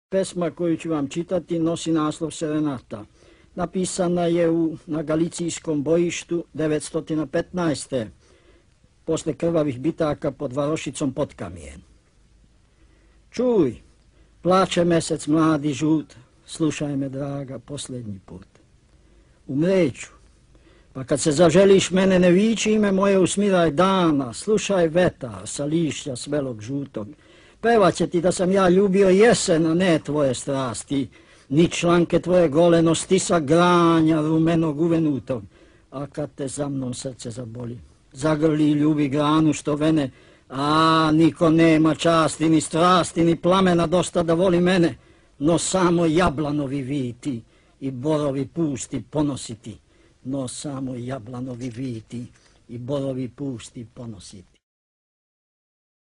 Pesma koju ću vam čitati nosi naslov Serenata. Napisana je na Galicijskom bojištu 915. posle krvavih bitaka pod Varošicom Potkamijen. Čuj, plače mesec mladi žut, slušaj me draga posljednji put. Umreću, pa kad se zaželiš mene ne viči ime moje usmiraj dana, slušaj vetar sa lišća svelog žutog. Pevat će ti da sam ja ljubio jesen, a ne tvoje strasti, ni članke tvoje goleno stisa granja rumenog uvenutog. A kad te za mnom srce zaboli, zagrli i ljubi granu što vene, a niko nema časti, ni strasti, ni plamena dosta da voli mene, no samo jablanovi viti i borovi pusti ponositi, no samo jablanovi viti i borovi pusti ponositi.